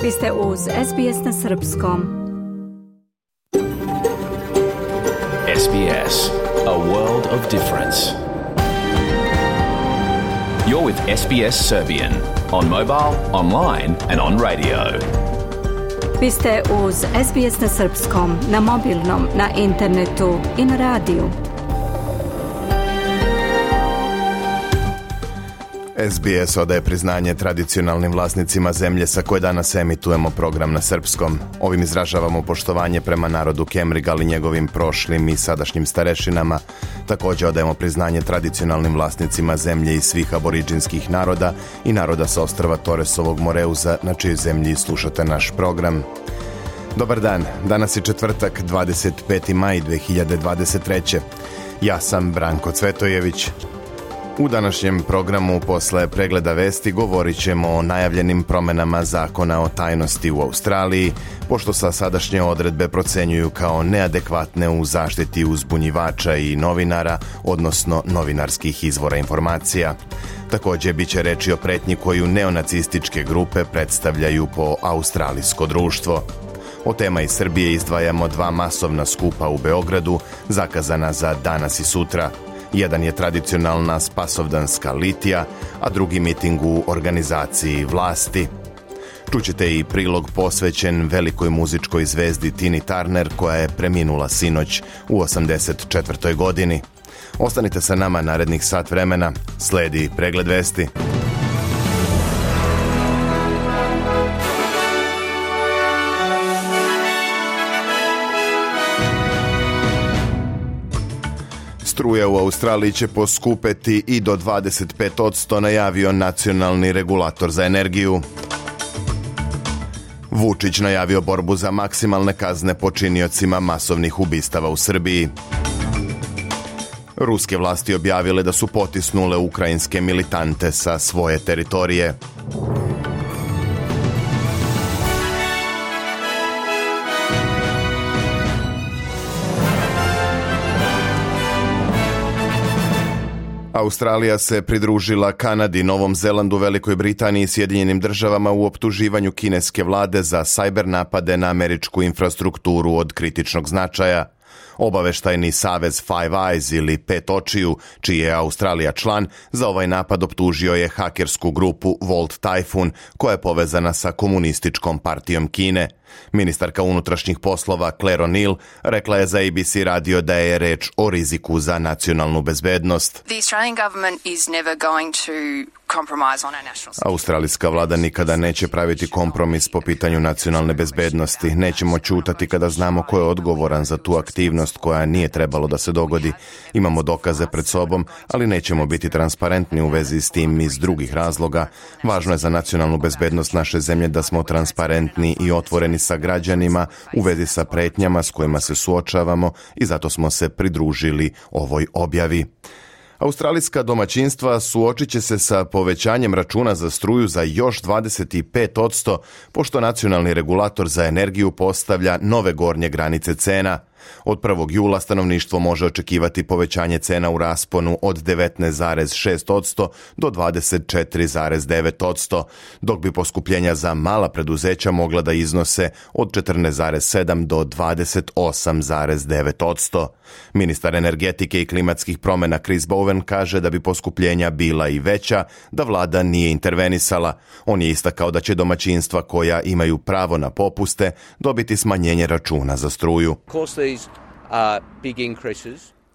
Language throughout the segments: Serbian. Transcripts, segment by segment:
Vi ste uz SBS na Srpskom. SBS, a world of difference. You're with SBS Serbian on mobile, online and on radio. Vi ste uz SBS na Srpskom, na mobilnom, na internetu i na radiju. SBS odaje priznanje tradicionalnim vlasnicima zemlje sa koje danas emitujemo program na srpskom. Ovim izražavamo poštovanje prema narodu Kemrigal i njegovim prošlim i sadašnjim starešinama. Također odajemo priznanje tradicionalnim vlasnicima zemlje i svih aboriđinskih naroda i naroda sa ostrva Toresovog Moreuza, na čijoj zemlji slušate naš program. Dobar dan, danas je četvrtak, 25. maj 2023. Ja sam Branko Cvetojević. U današnjem programu posle pregleda vesti govorit ćemo o najavljenim promenama zakona o tajnosti u Australiji, pošto sa sadašnje odredbe procenjuju kao neadekvatne u zaštiti uzbunjivača i novinara, odnosno novinarskih izvora informacija. Također bit će reči o pretnji koju neonacističke grupe predstavljaju po australijsko društvo. Od tema iz Srbije izdvajamo 2 masovna skupa u Beogradu, zakazana za danas i sutra. Jedan je tradicionalna spasovdanska litija, a drugi miting u organizaciji vlasti. Čućete i prilog posvećen velikoj muzičkoj zvezdi Tini Turner, koja je preminula sinoć u 84. godini. Ostanite sa nama narednih sat vremena, sledi pregled vesti. Struja u Australiji će poskupeti i do 25%, najavio nacionalni regulator za energiju. Vučić najavio borbu za maksimalne kazne počiniocima masovnih ubistava u Srbiji. Ruske vlasti objavile da su potisnule ukrajinske militante sa svoje teritorije. Australija se pridružila Kanadi, Novom Zelandu, Velikoj Britaniji i Sjedinjenim državama u optuživanju kineske vlade za sajber napade na američku infrastrukturu od kritičnog značaja. Obaveštajni savez Five Eyes ili Pet očiju, čiji je Australija član, za ovaj napad optužio je hakersku grupu Volt Typhoon, koja je povezana sa komunističkom partijom Kine. Ministarka unutrašnjih poslova Claire O'Neill rekla je za ABC radio da je reč o riziku za nacionalnu bezbednost. Australijska vlada nikada neće praviti kompromis po pitanju nacionalne bezbednosti. Nećemo ćutati kada znamo ko je odgovoran za tu aktivnost koja nije trebalo da se dogodi. Imamo dokaze pred sobom, ali nećemo biti transparentni u vezi s tim iz drugih razloga. Važno je za nacionalnu bezbednost naše zemlje da smo transparentni i otvoreni sa građanima u vezi sa pretnjama s kojima se suočavamo i zato smo se pridružili ovoj objavi. Australijska domaćinstva suočit će se sa povećanjem računa za struju za još 25%, pošto nacionalni regulator za energiju postavlja nove gornje granice cena. Od 1. jula stanovništvo može očekivati povećanje cena u rasponu od 19,6% do 24,9%, dok bi poskupljenja za mala preduzeća mogla da iznose od 14,7 do 28,9%. Ministar energetike i klimatskih promjena Chris Bowen kaže da bi poskupljenja bila i veća da vlada nije intervenisala. On je istakao da će domaćinstva koja imaju pravo na popuste dobiti smanjenje računa za struju.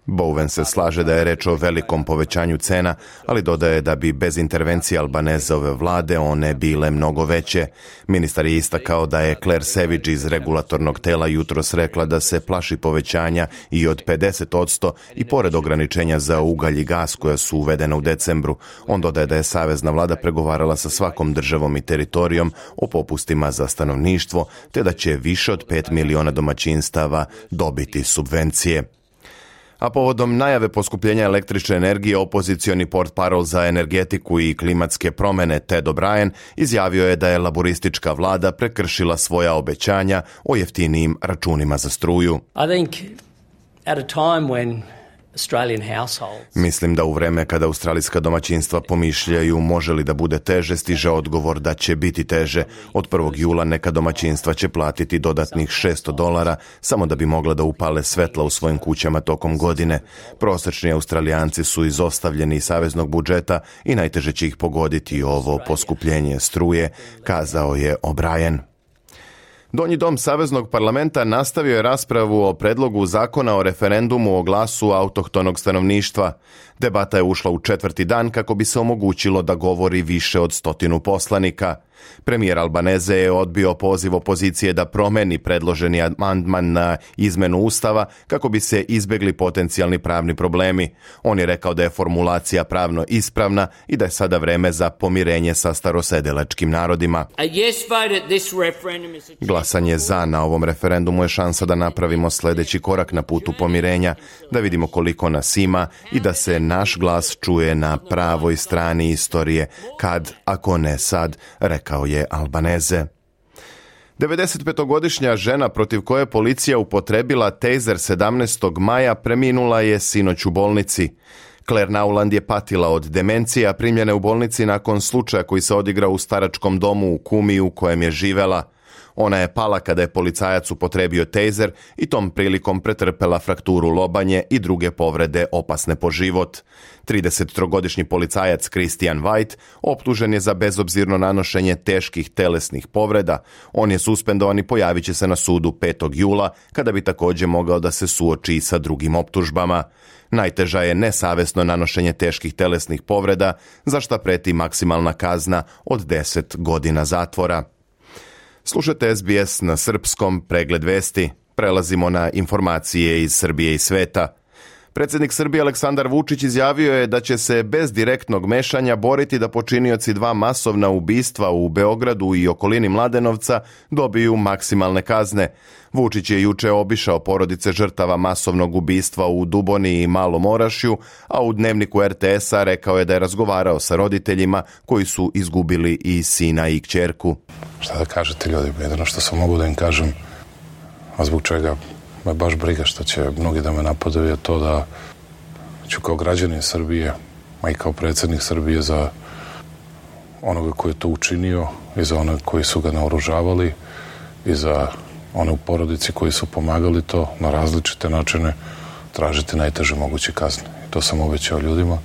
Bowen se slaže da je reč o velikom povećanju cena, ali dodaje da bi bez intervencije Albanezove vlade one bile mnogo veće. Ministar je istakao da je Claire Savage iz regulatornog tela jutros rekla da se plaši povećanja i od 50% i pored ograničenja za ugalj i gas koja su uvedena u decembru. On dodaje da je savezna vlada pregovarala sa svakom državom i teritorijom o popustima za stanovništvo, te da će više od 5 miliona domaćinstava dobiti subvencije. A povodom najave poskupljenja električne energije, opozicioni portparol za energetiku i klimatske promjene Ted O'Brien izjavio je da je laboristička vlada prekršila svoja obećanja o jeftinijim računima za struju. I think at a time when Mislim da u vreme kada australijska domaćinstva pomišljaju može li da bude teže, stiže odgovor da će biti teže. Od 1. jula neka domaćinstva će platiti dodatnih $600 samo da bi mogla da upale svetla u svojim kućama tokom godine. Prosječni Australijanci su izostavljeni iz saveznog budžeta i najteže će ih pogoditi ovo poskupljenje struje, kazao je O'Brien. Donji dom Saveznog parlamenta nastavio je raspravu o predlogu zakona o referendumu o glasu autohtonog stanovništva. Debata je ušla u 4. dan kako bi se omogućilo da govori više od 100 poslanika. Premijer Albaneze je odbio poziv opozicije da promeni predloženi amandman na izmenu Ustava kako bi se izbjegli potencijalni pravni problemi. On je rekao da je formulacija pravno ispravna i da je sada vreme za pomirenje sa starosedelačkim narodima. Glasanje za na ovom referendumu je šansa da napravimo sljedeći korak na putu pomirenja, da vidimo koliko nas ima i da se naš glas čuje na pravoj strani istorije, kad, ako ne sad, rekao je Albaneze. 95-godišnja žena protiv koje policija upotrebila tejzer 17. maja preminula je sinoć u bolnici. Claire Nauland je patila od demencije, a primljena je u bolnici nakon slučaja koji se odigrao u staračkom domu u Kumiju u kojem je živela. Ona je pala kada je policajac upotrebio tejzer i tom prilikom pretrpela frakturu lobanje i druge povrede opasne po život. 33-godišnji policajac Christian White optužen je za bezobzirno nanošenje teških telesnih povreda. On je suspendovan i pojavit će se na sudu 5. jula, kada bi također mogao da se suoči sa drugim optužbama. Najteža je nesavesno nanošenje teških telesnih povreda, za šta preti maksimalna kazna od 10 godina zatvora. Slušajte SBS na srpskom, pregled vesti. Prelazimo na informacije iz Srbije i sveta. Predsjednik Srbije Aleksandar Vučić izjavio je da će se bez direktnog mešanja boriti da počinioci 2 masovna ubistva u Beogradu i okolini Mladenovca dobiju maksimalne kazne. Vučić je juče obišao porodice žrtava masovnog ubistva u Duboni i Malom Orašju, a u dnevniku RTS-a rekao je da je razgovarao sa roditeljima koji su izgubili i sina i kćerku. Šta da kažete ljudi, jedino što sam mogu da im kažem, a zbog čega me baš briga što će mnogi da me napadaju, je to da ću kao građanin Srbije, a i kao predsjednik Srbije, za onoga koji je to učinio i za one koji su ga naoružavali i za one u porodici koji su pomagali to na različite načine tražiti najteže moguće kazne. I to sam obećao ljudima.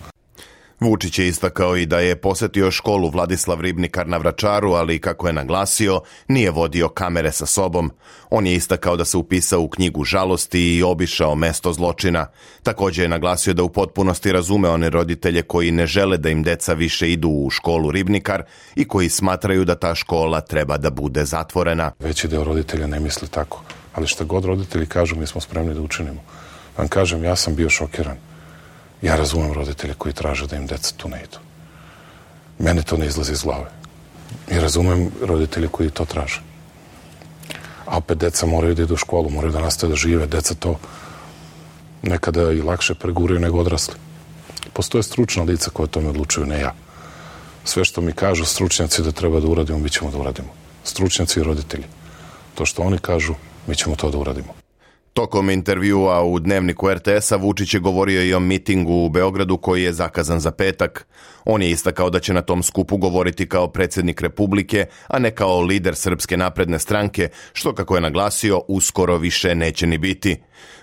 Vučić je istakao i da je posjetio školu Vladislav Ribnikar na Vračaru, ali kako je naglasio, nije vodio kamere sa sobom. On je istakao da se upisao u knjigu žalosti i obišao mesto zločina. Također je naglasio da u potpunosti razume one roditelje koji ne žele da im deca više idu u školu Ribnikar i koji smatraju da ta škola treba da bude zatvorena. Veći deo roditelja ne misli tako, ali šta god roditelji kažu, mi smo spremni da učinimo. Vam kažem, ja sam bio šokiran. Ja razumem roditelje koji traže da im deca tu ne idu. Mene to ne izlazi iz glave. I razumem roditelje koji to traže. A opet deca moraju da idu u školu, moraju da nastave da žive. Deca to nekada i lakše preguraju nego odrasli. Postoje stručna lica koja o tome odlučuju, ne ja. Sve što mi kažu stručnjaci da treba da uradimo, mi ćemo da uradimo. Stručnjaci i roditelji. To što oni kažu, mi ćemo to da uradimo. Tokom intervjua u dnevniku RTS-a Vučić je govorio i o mitingu u Beogradu koji je zakazan za petak. On je istakao da će na tom skupu govoriti kao predsjednik Republike, a ne kao lider Srpske napredne stranke, što, kako je naglasio, uskoro više neće ni biti.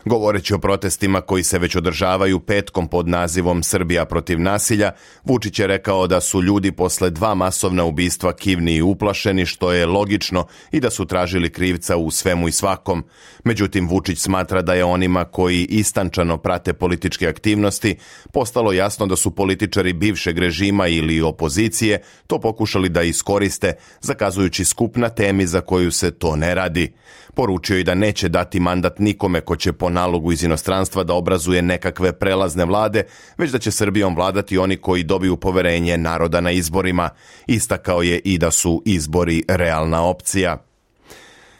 Govoreći o protestima koji se već održavaju petkom pod nazivom Srbija protiv nasilja, Vučić je rekao da su ljudi posle 2 masovna ubistva kivni i uplašeni, što je logično, i da su tražili krivca u svemu i svakom. Međutim, Vučić smatra da je onima koji istančano prate političke aktivnosti postalo jasno da su političari bivšeg režima ili opozicije to pokušali da iskoriste, zakazujući skup na temi za koju se to ne radi. Poručio i da neće dati mandat nikome ko će po nalogu iz inostranstva da obrazuje nekakve prelazne vlade, već da će Srbijom vladati oni koji dobiju poverenje naroda na izborima. Istakao je i da su izbori realna opcija.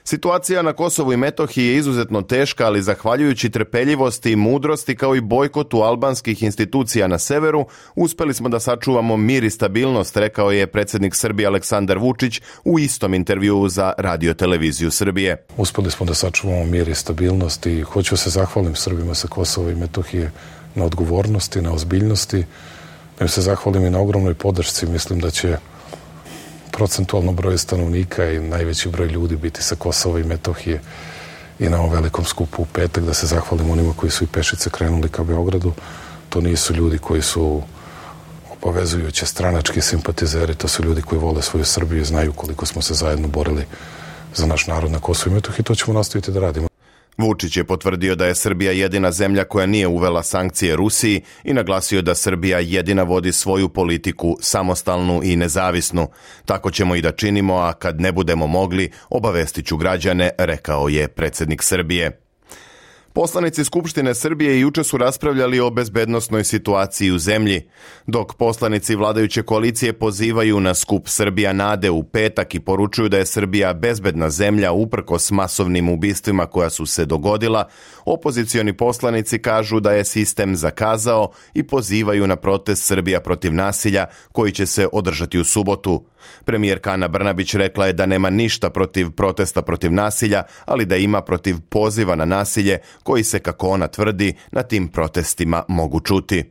Situacija na Kosovu i Metohiji je izuzetno teška, ali zahvaljujući trpeljivosti i mudrosti kao i bojkotu albanskih institucija na severu, uspeli smo da sačuvamo mir i stabilnost, rekao je predsjednik Srbije Aleksandar Vučić u istom intervjuu za Radio televiziju Srbije. Uspeli smo da sačuvamo mir i stabilnost i hoću se zahvalim Srbima sa Kosova i Metohije na odgovornosti, na ozbiljnosti, da im se zahvalim i na ogromnoj podršci. Mislim da će procentualno broj stanovnika i najveći broj ljudi biti sa Kosova i Metohije i na ovom velikom skupu u petak, da se zahvalim onima koji su i pešice krenuli ka Beogradu. To nisu ljudi koji su obavezujuće stranački simpatizeri, to su ljudi koji vole svoju Srbiju i znaju koliko smo se zajedno borili za naš narod na Kosovu i Metohiji. To ćemo nastaviti da radimo. Vučić je potvrdio da je Srbija jedina zemlja koja nije uvela sankcije Rusiji i naglasio da Srbija jedina vodi svoju politiku samostalnu i nezavisnu. Tako ćemo i da činimo, a kad ne budemo mogli, obavestit ću građane, rekao je predsjednik Srbije. Poslanici Skupštine Srbije juče su raspravljali o bezbednosnoj situaciji u zemlji, dok poslanici vladajuće koalicije pozivaju na skup Srbija nade u petak i poručuju da je Srbija bezbedna zemlja uprkos masovnim ubistvima koja su se dogodila. Opozicioni poslanici kažu da je sistem zakazao i pozivaju na protest Srbija protiv nasilja koji će se održati u subotu. Premijerka Ana Brnabić rekla je da nema ništa protiv protesta protiv nasilja, ali da ima protiv poziva na nasilje koji se, kako ona tvrdi, na tim protestima mogu čuti.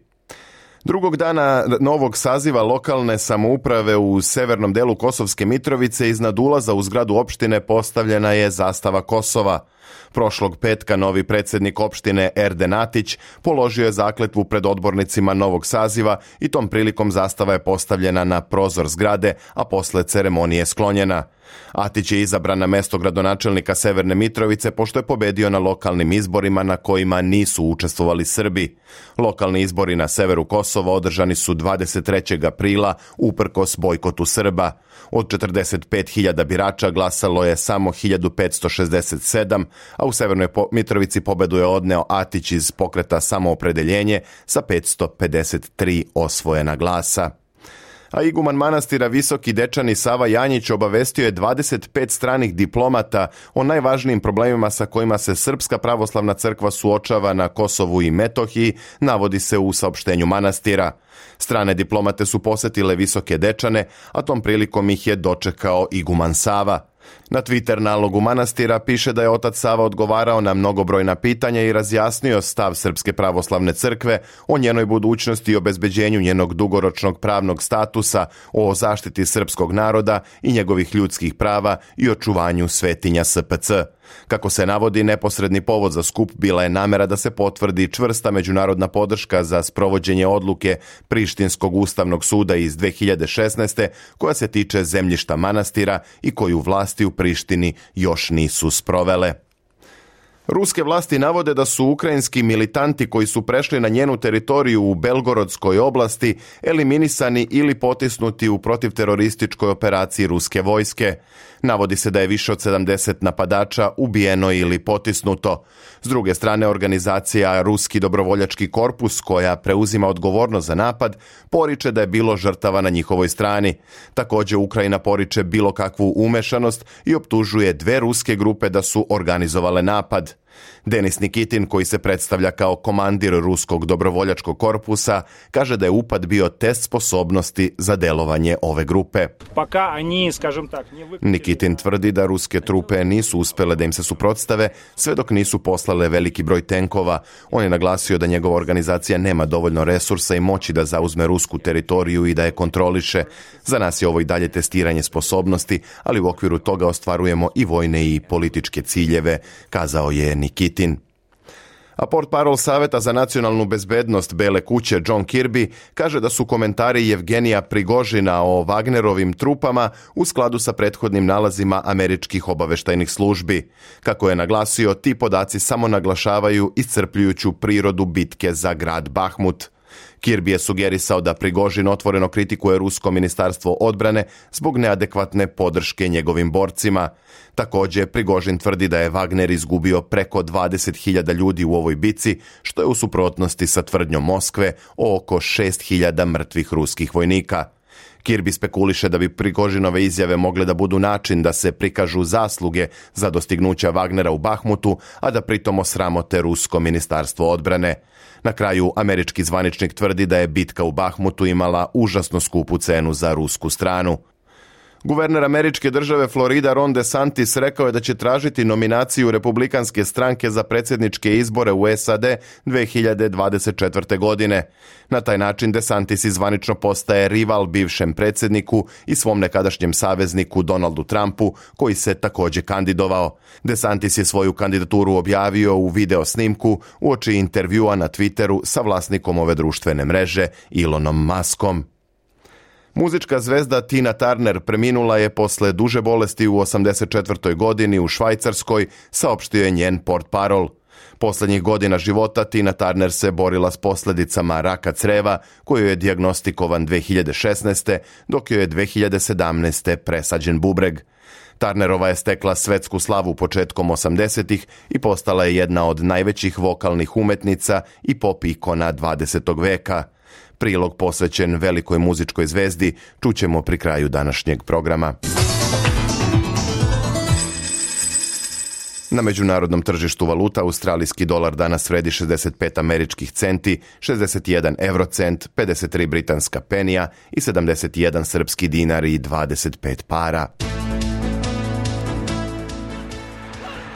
Drugog dana novog saziva lokalne samouprave u severnom delu Kosovske Mitrovice iznad ulaza u zgradu opštine postavljena je zastava Kosova. Prošlog petka novi predsjednik opštine Erden Atić položio je zakletvu pred odbornicima novog saziva i tom prilikom zastava je postavljena na prozor zgrade, a posle ceremonije sklonjena. Atić je izabran na mesto gradonačelnika Severne Mitrovice pošto je pobedio na lokalnim izborima na kojima nisu učestvovali Srbi. Lokalni izbori na severu Kosova održani su 23. aprila uprkos bojkotu Srba. Od 45.000 birača glasalo je samo 1567, a u Severnoj Mitrovici pobedu je odneo Atić iz pokreta Samoopredeljenje sa 553 osvojena glasa. A iguman manastira Visoki Dečani Sava Janjić obavestio je 25 stranih diplomata o najvažnijim problemima sa kojima se Srpska pravoslavna crkva suočava na Kosovu i Metohiji, navodi se u saopštenju manastira. Strane diplomate su posetile Visoke Dečane, a tom prilikom ih je dočekao iguman Sava. Na Twitter nalogu manastira piše da je otac Sava odgovarao na mnogobrojna pitanja i razjasnio stav Srpske pravoslavne crkve o njenoj budućnosti i obezbeđenju njenog dugoročnog pravnog statusa, o zaštiti srpskog naroda i njegovih ljudskih prava i očuvanju svetinja SPC. Kako se navodi, neposredni povod za skup bila je namera da se potvrdi čvrsta međunarodna podrška za sprovođenje odluke Prištinskog ustavnog suda iz 2016. koja se tiče zemljišta manastira i koju vlasti u Prištini još nisu sprovele. Ruske vlasti navode da su ukrajinski militanti koji su prešli na njenu teritoriju u Belgorodskoj oblasti eliminisani ili potisnuti u protivterorističkoj operaciji ruske vojske. Navodi se da je više od 70 napadača ubijeno ili potisnuto. S druge strane, organizacija Ruski dobrovoljački korpus, koja preuzima odgovornost za napad, poriče da je bilo žrtava na njihovoj strani. Također, Ukrajina poriče bilo kakvu umešanost i optužuje dve ruske grupe da su organizovale napad. Denis Nikitin, koji se predstavlja kao komandir Ruskog dobrovoljačkog korpusa, kaže da je upad bio test sposobnosti za delovanje ove grupe. Nikitin tvrdi da ruske trupe nisu uspjele da im se suprotstave sve dok nisu poslale veliki broj tenkova. On je naglasio da njegova organizacija nema dovoljno resursa i moći da zauzme rusku teritoriju i da je kontroliše. Za nas je ovo i dalje testiranje sposobnosti, ali u okviru toga ostvarujemo i vojne i političke ciljeve, kazao je Nikitin. A portparol Saveta za nacionalnu bezbednost Bele kuće John Kirby kaže da su komentari Jevgenija Prigožina o Wagnerovim trupama u skladu sa prethodnim nalazima američkih obaveštajnih službi. Kako je naglasio, ti podaci samo naglašavaju iscrpljujuću prirodu bitke za grad Bahmut. Kirby je sugerisao da Prigožin otvoreno kritikuje Rusko ministarstvo odbrane zbog neadekvatne podrške njegovim borcima. Također, Prigožin tvrdi da je Wagner izgubio preko 20.000 ljudi u ovoj bici, što je u suprotnosti sa tvrdnjom Moskve o oko 6.000 mrtvih ruskih vojnika. Kirby spekuliše da bi Prigožinove izjave mogle da budu način da se prikažu zasluge za dostignuća Wagnera u Bahmutu, a da pritom osramote Rusko ministarstvo odbrane. Na kraju, američki zvaničnik tvrdi da je bitka u Bahmutu imala užasno skupu cenu za rusku stranu. Guverner američke države Florida Ron DeSantis rekao je da će tražiti nominaciju Republikanske stranke za predsjedničke izbore u SAD 2024. godine. Na taj način DeSantis zvanično postaje rival bivšem predsjedniku i svom nekadašnjem savezniku Donaldu Trumpu, koji se također kandidovao. DeSantis je svoju kandidaturu objavio u video snimku uoči intervjua na Twitteru sa vlasnikom ove društvene mreže Elonom Muskom. Muzička zvezda Tina Turner preminula je posle duže bolesti u 84. godini u Švajcarskoj, saopštio je njen portparol. Posljednjih godina života Tina Turner se borila s posljedicama raka creva, koju je dijagnostikovan 2016. dok joj je 2017. presađen bubreg. Turnerova je stekla svetsku slavu početkom 80-ih i postala je jedna od najvećih vokalnih umetnica i pop ikona 20. veka. Prilog posvećen velikoj muzičkoj zvezdi čućemo pri kraju današnjeg programa. Na međunarodnom tržištu valuta australijski dolar danas vredi 65 američkih centi, 61 eurocent, 53 britanska penija i 71 srpski dinar i 25 para.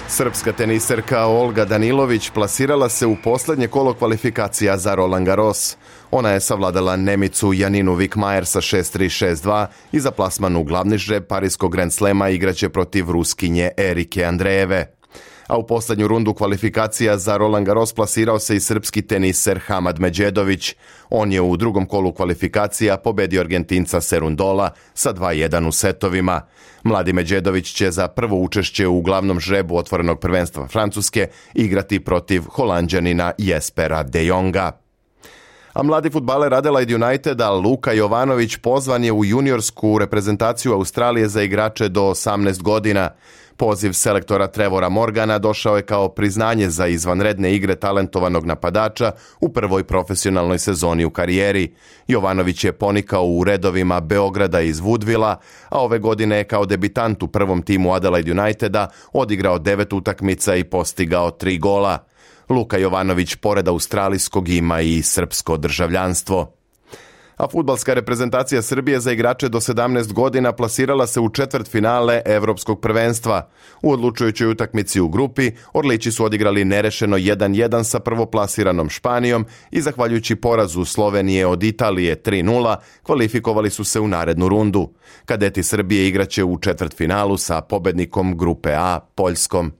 Srpska teniserka Olga Danilović plasirala se u posljednje kolo kvalifikacija za Roland Garros. Ona je savladala Nemicu Janinu Wickmajer sa 6-3, 6-2 i za plasman u glavni žreb Parijskog Grand Slema igraće protiv Ruskinje Erike Andrejeve. A u posljednju rundu kvalifikacija za Roland Garros plasirao se i srpski teniser Hamad Medjedović. On je u drugom kolu kvalifikacija pobedio Argentinca Serundola sa 2-1 u setovima. Mladi Medjedović će za prvo učešće u glavnom žrebu otvorenog prvenstva Francuske igrati protiv Holanđanina Jespera de Jonga. A mladi fudbaler Adelaide Uniteda Luka Jovanović pozvan je u juniorsku reprezentaciju Australije za igrače do 18 godina. Poziv selektora Trevora Morgana došao je kao priznanje za izvanredne igre talentovanog napadača u prvoj profesionalnoj sezoni u karijeri. Jovanović je ponikao u redovima Beograda iz Woodvilla, a ove godine je kao debitant u prvom timu Adelaide Uniteda odigrao 9 utakmica i postigao 3 gola. Luka Jovanović pored australijskog ima i srpsko državljanstvo. A fudbalska reprezentacija Srbije za igrače do 17 godina plasirala se u četvrtfinale Evropskog prvenstva. U odlučujućoj utakmici u grupi Orlići su odigrali nerešeno 1-1 sa prvoplasiranom Španijom i zahvaljujući porazu Slovenije od Italije 3-0 kvalifikovali su se u narednu rundu. Kadeti Srbije igraće u četvrtfinalu sa pobednikom grupe A, Poljskom.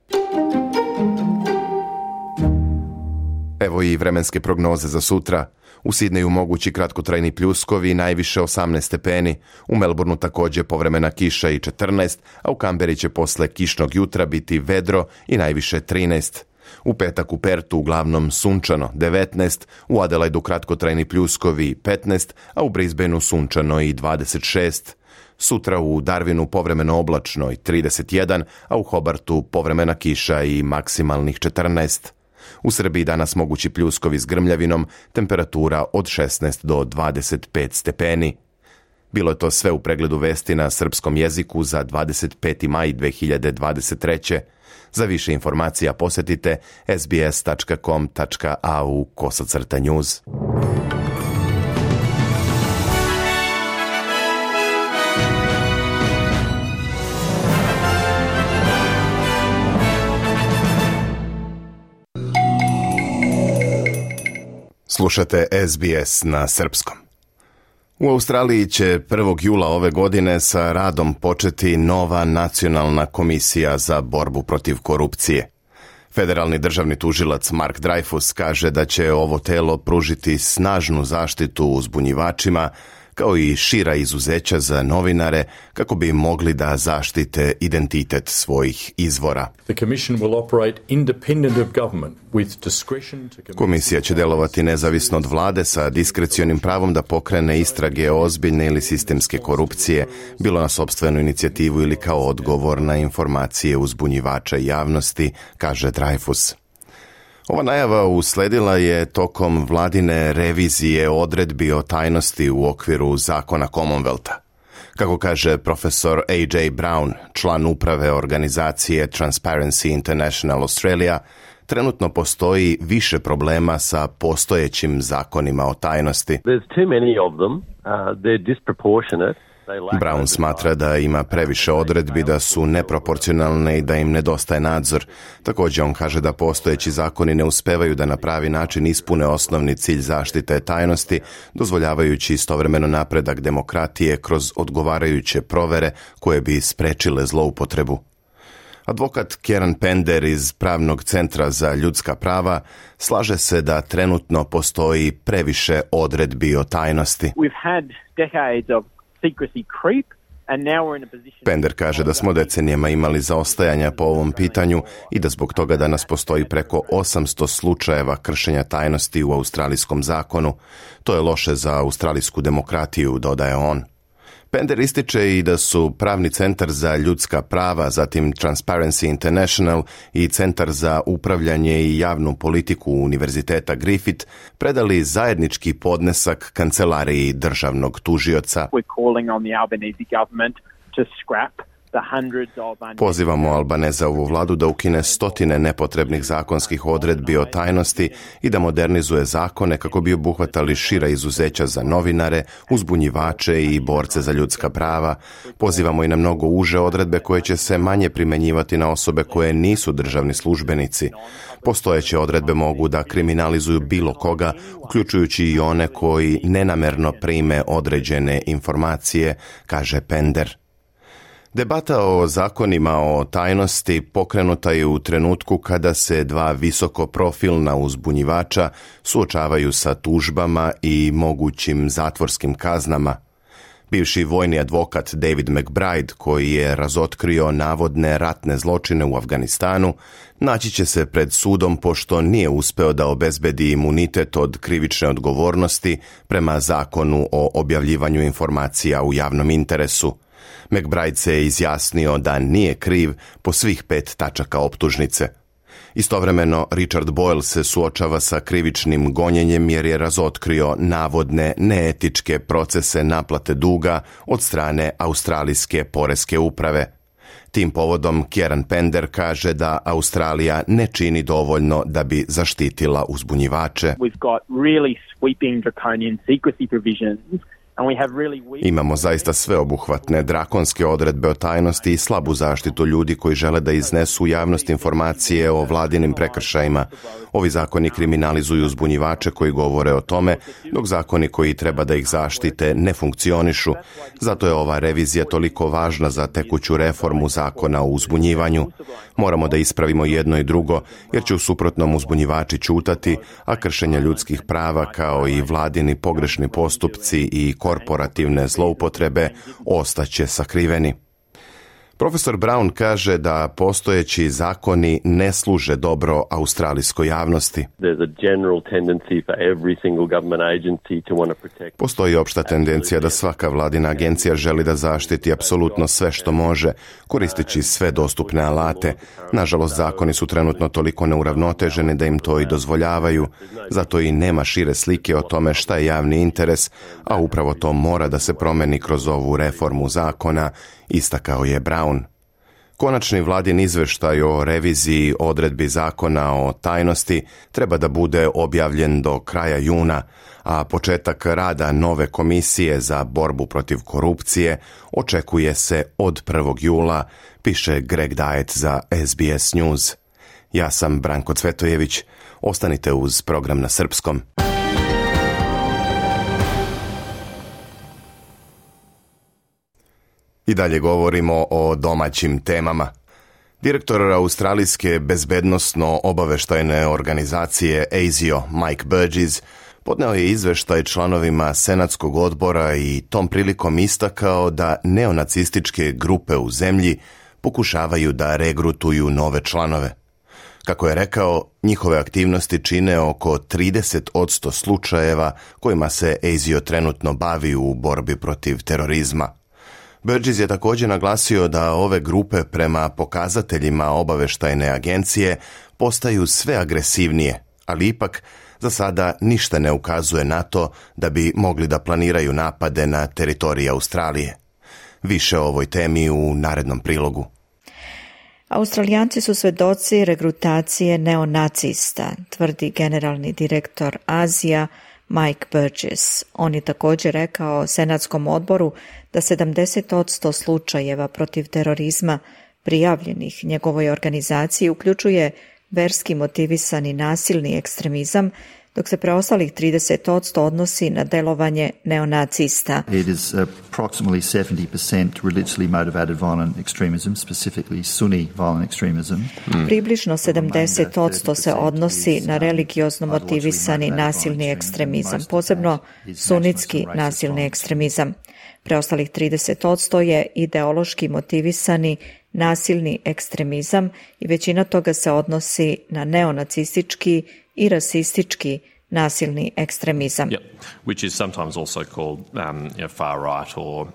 Evo i vremenske prognoze za sutra. U Sidneju mogući kratkotrajni pljuskovi i najviše 18 stepeni. U Melbourneu također povremena kiša i 14, a u Kamberi će posle kišnog jutra biti vedro i najviše 13. U petak u Pertu uglavnom sunčano 19, u Adelaidu kratkotrajni pljuskovi 15, a u Brisbaneu sunčano i 26. Sutra u Darwinu povremeno oblačno i 31, a u Hobartu povremena kiša i maksimalnih 14. U Srbiji danas mogući pljuskovi s grmljavinom, temperatura od 16 do 25 stepeni. Bilo je to sve u pregledu vesti na srpskom jeziku za 25. maj 2023. Za više informacija posjetite sbs.com.au/news. Slušate SBS na srpskom. U Australiji će 1. jula ove godine sa radom početi nova nacionalna komisija za borbu protiv korupcije. Federalni državni tužilac Mark Dreyfus kaže da će ovo telo pružiti snažnu zaštitu uzbunjivačima, kao i šira izuzeća za novinare kako bi mogli da zaštite identitet svojih izvora. Komisija će delovati nezavisno od vlade sa diskrecionim pravom da pokrene istrage ozbiljne ili sistemske korupcije, bilo na sopstvenu inicijativu ili kao odgovor na informacije uzbunjivača javnosti, kaže Dreyfus. Ova najava usledila je tokom vladine revizije odredbi o tajnosti u okviru zakona Commonwealtha. Kako kaže profesor A.J. Brown, član uprave organizacije Transparency International Australia, trenutno postoji više problema sa postojećim zakonima o tajnosti. There's too many of them. They're disproportionate. Brown smatra da ima previše odredbi, da su neproporcionalne i da im nedostaje nadzor. Također on kaže da postojeći zakoni ne uspevaju da na pravi način ispune osnovni cilj zaštite tajnosti, dozvoljavajući istovremeno napredak demokratije kroz odgovarajuće provere koje bi sprečile zloupotrebu. Advokat Kieran Pender iz Pravnog centra za ljudska prava slaže se da trenutno postoji previše odredbi o tajnosti. Pender kaže da smo decenijama imali zaostajanja po ovom pitanju i da zbog toga danas postoji preko 800 slučajeva kršenja tajnosti u australijskom zakonu. To je loše za australijsku demokratiju, dodaje on. Pender ističe i da su Pravni centar za ljudska prava, zatim Transparency International i Centar za upravljanje i javnu politiku Univerziteta Griffith predali zajednički podnesak kancelariji državnog tužioca. Pozivamo Albanezovu vladu da ukine stotine nepotrebnih zakonskih odredbi o tajnosti i da modernizuje zakone kako bi obuhvatali šira izuzeća za novinare, uzbunjivače i borce za ljudska prava. Pozivamo i na mnogo uže odredbe koje će se manje primjenjivati na osobe koje nisu državni službenici. Postojeće odredbe mogu da kriminalizuju bilo koga, uključujući i one koji nenamerno prime određene informacije, kaže Pender. Debata o zakonima o tajnosti pokrenuta je u trenutku kada se dva visokoprofilna uzbunjivača suočavaju sa tužbama i mogućim zatvorskim kaznama. Bivši vojni advokat David McBride, koji je razotkrio navodne ratne zločine u Afganistanu, naći će se pred sudom pošto nije uspeo da obezbedi imunitet od krivične odgovornosti prema zakonu o objavljivanju informacija u javnom interesu. McBride se je izjasnio da nije kriv po svih 5 tačaka optužnice. Istovremeno, Richard Boyle se suočava sa krivičnim gonjenjem jer je razotkrio navodne neetičke procese naplate duga od strane australijske poreske uprave. Tim povodom Kieran Pender kaže da Australija ne čini dovoljno da bi zaštitila uzbunjivače. Imamo zaista sveobuhvatne drakonske odredbe o tajnosti i slabu zaštitu ljudi koji žele da iznesu u javnost informacije o vladinim prekršajima. Ovi zakoni kriminalizuju uzbunjivače koji govore o tome, dok zakoni koji treba da ih zaštite ne funkcionišu. Zato je ova revizija toliko važna za tekuću reformu zakona o uzbunjivanju. Moramo da ispravimo jedno i drugo, jer će u suprotnom uzbunjivači ćutati, a kršenja ljudskih prava kao i vladini pogrešni postupci i korporativne zloupotrebe ostaće sakriveni. Profesor Brown kaže da postojeći zakoni ne služe dobro australijskoj javnosti. Postoji opšta tendencija da svaka vladina agencija želi da zaštiti apsolutno sve što može, koristeći sve dostupne alate. Nažalost, zakoni su trenutno toliko neuravnoteženi da im to i dozvoljavaju, zato i nema šire slike o tome šta je javni interes, a upravo to mora da se promeni kroz ovu reformu zakona, istakao je Brown. Konačni vladin izveštaj o reviziji odredbi zakona o tajnosti treba da bude objavljen do kraja juna, a početak rada nove komisije za borbu protiv korupcije očekuje se od 1. jula, piše Greg Diet za SBS News. Ja sam Branko Cvetojević. Ostanite uz program na srpskom. I dalje govorimo o domaćim temama. Direktor australijske bezbednosno-obaveštajne organizacije ASIO, Mike Burgess, podneo je izveštaj članovima Senatskog odbora i tom prilikom istakao da neonacističke grupe u zemlji pokušavaju da regrutuju nove članove. Kako je rekao, njihove aktivnosti čine oko 30% slučajeva kojima se ASIO trenutno bavi u borbi protiv terorizma. Burgess je također naglasio da ove grupe prema pokazateljima obaveštajne agencije postaju sve agresivnije, ali ipak za sada ništa ne ukazuje na to da bi mogli da planiraju napade na teritoriji Australije. Više o ovoj temi u narednom prilogu. Australijanci su svedoci regrutacije neonacista, tvrdi generalni direktor ASIA Mike Burgess. On je također rekao Senatskom odboru da 70% slučajeva protiv terorizma prijavljenih njegovoj organizaciji uključuje verski motivisani nasilni ekstremizam, dok se preostalih 30% odnosi na delovanje neonacista. It is approximately 70% religiously motivated violent extremism, specifically Sunni violent extremism. Približno 70% se odnosi na religiozno motivisani nasilni ekstremizam, posebno sunitski nasilni ekstremizam. Preostalih 30% je ideološki motivisani nasilni ekstremizam i većina toga se odnosi na neonacistički i rasistički nasilni ekstremizam. Yep. Which is sometimes also called far right or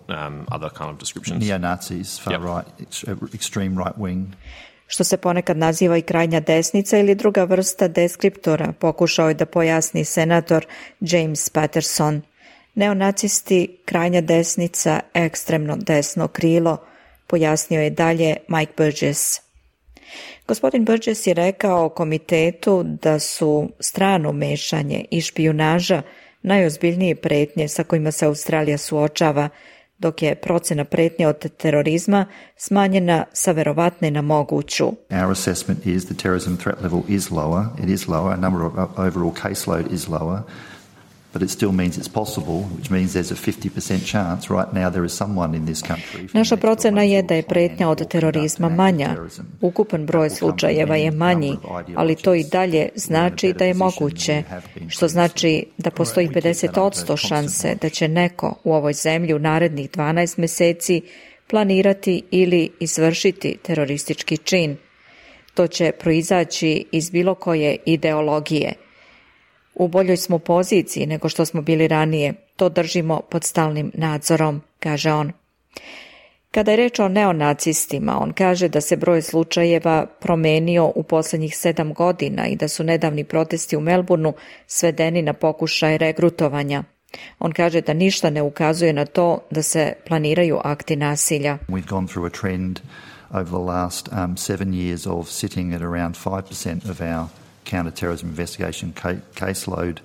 other kind of descriptions. Neo-Nazis, far right, extreme right wing. Što se ponekad naziva i krajnja desnica ili druga vrsta deskriptora, pokušao je da pojasni senator James Patterson. Neonacisti, krajnja desnica, ekstremno desno krilo, pojasnio je dalje Mike Burgess. Gospodin Burgess je rekao komitetu da su strano mešanje i špijunaža najozbiljnije pretnje sa kojima se Australija suočava, dok je procena pretnje od terorizma smanjena sa verovatne na moguću. Our assessment is the terrorism threat level is lower. It is lower. Number of overall caseload is lower. But it still means it's possible, which means there's a 50% chance right now there is someone in this country. Naša procena je da je pretnja od terorizma manja. Ukupan broj slučajeva je manji, ali to i dalje znači da je moguće, što znači da postoji 50% šanse da će neko u ovoj zemlji u narednih 12 meseci planirati ili izvršiti teroristički čin. To će proizaći iz bilo koje ideologije. U boljoj smo poziciji nego što smo bili ranije. To držimo pod stalnim nadzorom, kaže on. Kada je reč o neonacistima, on kaže da se broj slučajeva promenio u posljednjih 7 godina i da su nedavni protesti u Melbourneu svedeni na pokušaj regrutovanja. On kaže da ništa ne ukazuje na to da se planiraju akti nasilja. We've gone through a trend over the last 7 years of sitting at around 5% of our counter-terrorism investigation caseload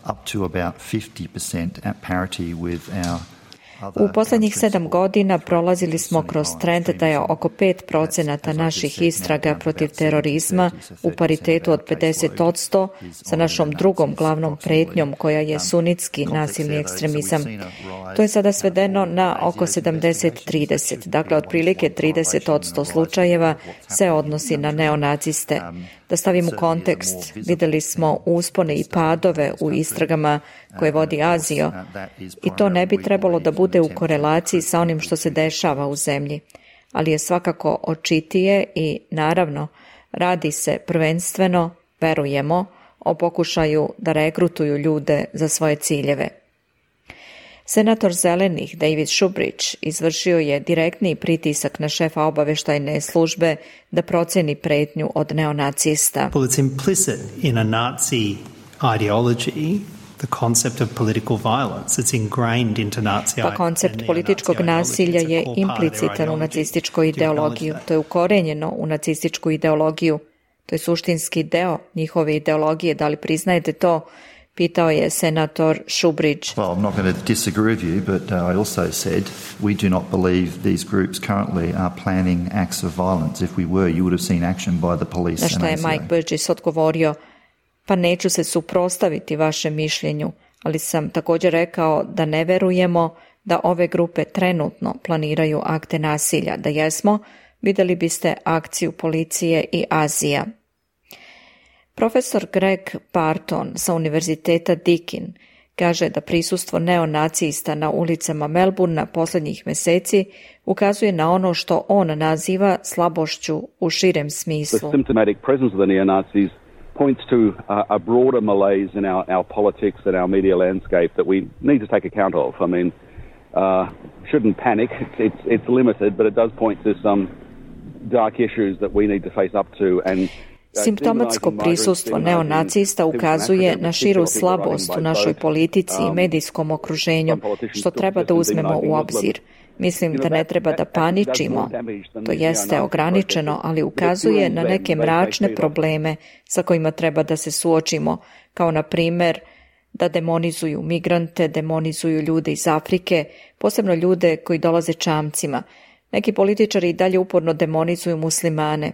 up to about 50% at parity with our. U posljednjih 7 godina prolazili smo kroz trend da je oko 5% naših istraga protiv terorizma u paritetu od 50% sa našom drugom glavnom pretnjom koja je sunitski nasilni ekstremizam. To je sada svedeno na oko 70-30, dakle otprilike 30% slučajeva se odnosi na neonaciste. Da stavim u kontekst, vidjeli smo uspone i padove u istragama koje vodi Azio i to ne bi trebalo da bude u korelaciji sa onim što se dešava u zemlji, ali je svakako očitije i naravno radi se prvenstveno, verujemo, o pokušaju da regrutuju ljude za svoje ciljeve. Senator Zelenih David Shoebridge izvršio je direktni pritisak na šefa obaveštajne službe da proceni pretnju od neonacista. Well, it's implicit in a Nazi ideology. The concept of political violence, it's ingrained into Nazi. Pa koncept političkog nasilja je implicitan u nacističku ideologiju. To je ukorenjeno u nacističku ideologiju. To je suštinski deo njihove ideologije. Da li priznajete to? Pitao je senator Shoebridge. Well, I'm not going to disagree with you, but I also said we do not believe these groups currently are planning acts of violence. If we were, you would have seen action by the police. Na što je Mike Burgess odgovorio, pa neću se suprotstaviti vašem mišljenju, ali sam također rekao da ne verujemo da ove grupe trenutno planiraju akte nasilja. Da jesmo, vidjeli biste akciju policije i Azija. Profesor Greg Barton sa Univerziteta Deakin kaže da prisustvo neonacista na ulicama Melbournea posljednjih meseci ukazuje na ono što on naziva slabošću u širem smislu. The symptomatic presence of the neo-Nazis points to a broader malaise in our politics and our media landscape that we need to take account of. I mean, shouldn't panic. It's limited, but it does point to some dark issues that we need to face up to. And simptomatsko prisustvo neonacista ukazuje na širu slabost u našoj politici i medijskom okruženju, što treba da uzmemo u obzir. Mislim da ne treba da paničimo, to jeste ograničeno, ali ukazuje na neke mračne probleme sa kojima treba da se suočimo, kao na primjer da demonizuju migrante, demonizuju ljude iz Afrike, posebno ljude koji dolaze čamcima. Neki političari i dalje uporno demonizuju muslimane.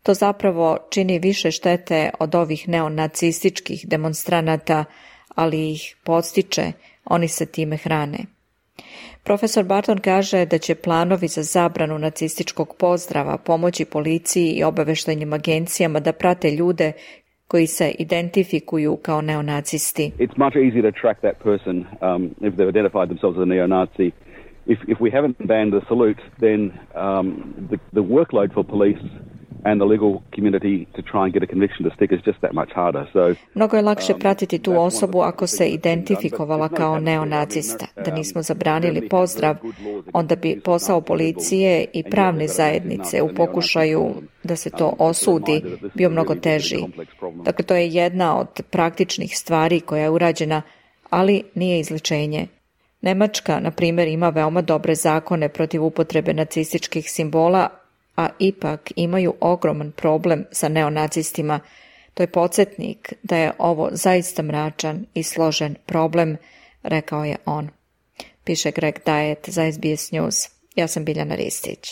To zapravo čini više štete od ovih neonacističkih demonstranata, ali ih podstiče, oni se time hrane. Profesor Barton kaže da će planovi za zabranu nacističkog pozdrava pomoći policiji i obaveštajnim agencijama da prate ljude koji se identifikuju kao neonacisti. It's much easier to track that person if they've identified themselves as a neo-Nazi. If we haven't banned the salute, then the workload for police and the legal community to try and get a conviction to stick is just that much harder. So, mnogo je lakše pratiti tu osobu ako se identifikovala kao neonacista. Da nismo zabranili pozdrav, onda bi posao policije i pravne zajednice u pokušaju da se to osudi bio mnogo teži. Dakle, to je jedna od praktičnih stvari koja je urađena, ali nije izlečenje. Nemačka, na primjer, ima veoma dobre zakone protiv upotrebe nacističkih simbola, a ipak imaju ogroman problem sa neonacistima. To je podsjetnik da je ovo zaista mračan i složen problem, rekao je on. Piše Greg Diet za SBS News. Ja sam Biljana Ristić.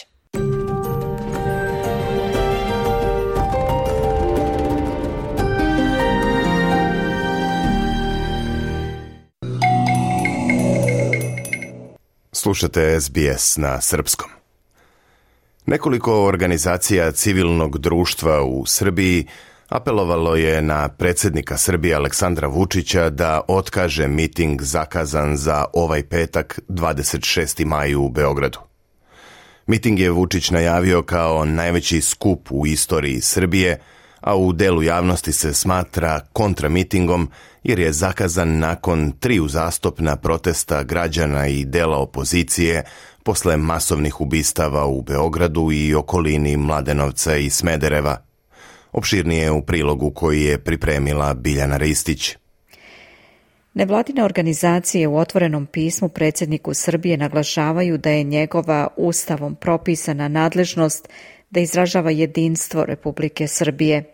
Slušate SBS na srpskom. Nekoliko organizacija civilnog društva u Srbiji apelovalo je na predsjednika Srbije Aleksandra Vučića da otkaže miting zakazan za ovaj petak 26. maj u Beogradu. Miting je Vučić najavio kao najveći skup u istoriji Srbije, a u delu javnosti se smatra kontramitingom jer je zakazan nakon 3 uzastopna protesta građana i dela opozicije posle masovnih ubistava u Beogradu i okolini Mladenovca i Smedereva. Opširnije u prilogu koji je pripremila Biljana Ristić. Nevladine organizacije u otvorenom pismu predsjedniku Srbije naglašavaju da je njegova ustavom propisana nadležnost da izražava jedinstvo Republike Srbije.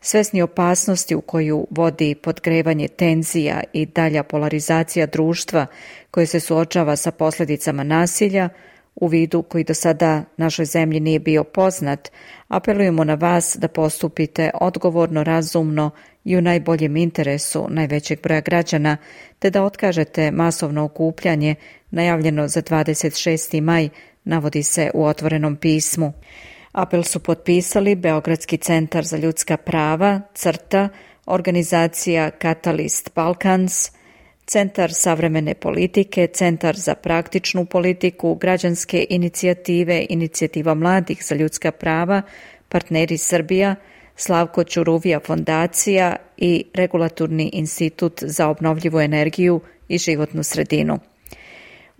Svesni opasnosti u koju vodi podgrevanje tenzija i dalja polarizacija društva koje se suočava sa posljedicama nasilja, u vidu koji do sada našoj zemlji nije bio poznat, apelujemo na vas da postupite odgovorno, razumno i u najboljem interesu najvećeg broja građana, te da otkažete masovno okupljanje najavljeno za 26. maj, navodi se u otvorenom pismu. Apel su potpisali Beogradski centar za ljudska prava, CRTA, organizacija Catalyst Balkans, Centar savremene politike, Centar za praktičnu politiku, građanske inicijative, Inicijativa mladih za ljudska prava, Partneri Srbija, Slavko Ćuruvija fondacija i Regulatorni institut za obnovljivu energiju i životnu sredinu.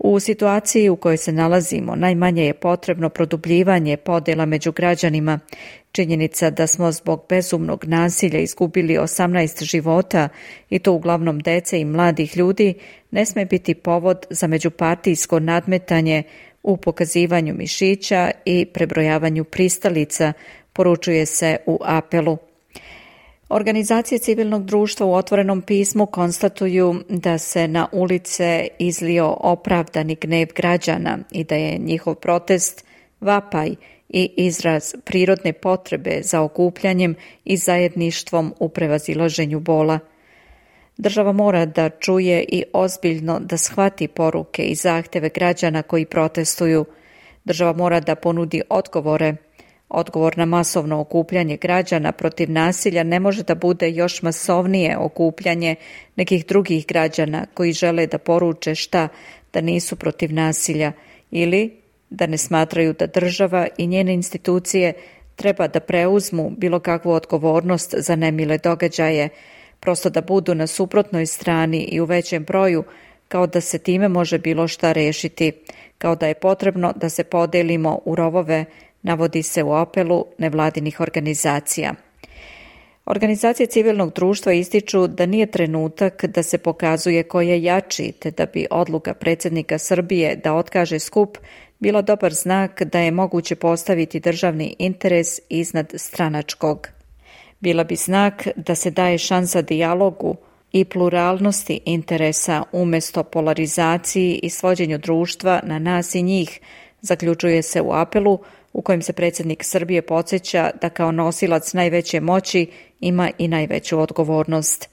U situaciji u kojoj se nalazimo, najmanje je potrebno produbljivanje podjela među građanima. Činjenica da smo zbog bezumnog nasilja izgubili 18 života, i to uglavnom dece i mladih ljudi, ne sme biti povod za međupartijsko nadmetanje u pokazivanju mišića i prebrojavanju pristalica, poručuje se u apelu. Organizacije civilnog društva u otvorenom pismu konstatuju da se na ulice izlio opravdani gnev građana i da je njihov protest vapaj i izraz prirodne potrebe za okupljanjem i zajedništvom u prevazilaženju bola. Država mora da čuje i ozbiljno da shvati poruke i zahteve građana koji protestuju. Država mora da ponudi odgovore. Odgovor na masovno okupljanje građana protiv nasilja ne može da bude još masovnije okupljanje nekih drugih građana koji žele da poruče šta, da nisu protiv nasilja ili da ne smatraju da država i njene institucije treba da preuzmu bilo kakvu odgovornost za nemile događaje, prosto da budu na suprotnoj strani i u većem broju, kao da se time može bilo šta rešiti, kao da je potrebno da se podelimo u rovove, navodi se u apelu nevladinih organizacija. Organizacije civilnog društva ističu da nije trenutak da se pokazuje ko je jači, te da bi odluka predsjednika Srbije da otkaže skup bila dobar znak da je moguće postaviti državni interes iznad stranačkog. Bila bi znak da se daje šansa dijalogu, i pluralnosti interesa umjesto polarizaciji i svođenju društva na nas i njih, zaključuje se u apelu u kojem se predsjednik Srbije podsjeća da kao nosilac najveće moći ima i najveću odgovornost.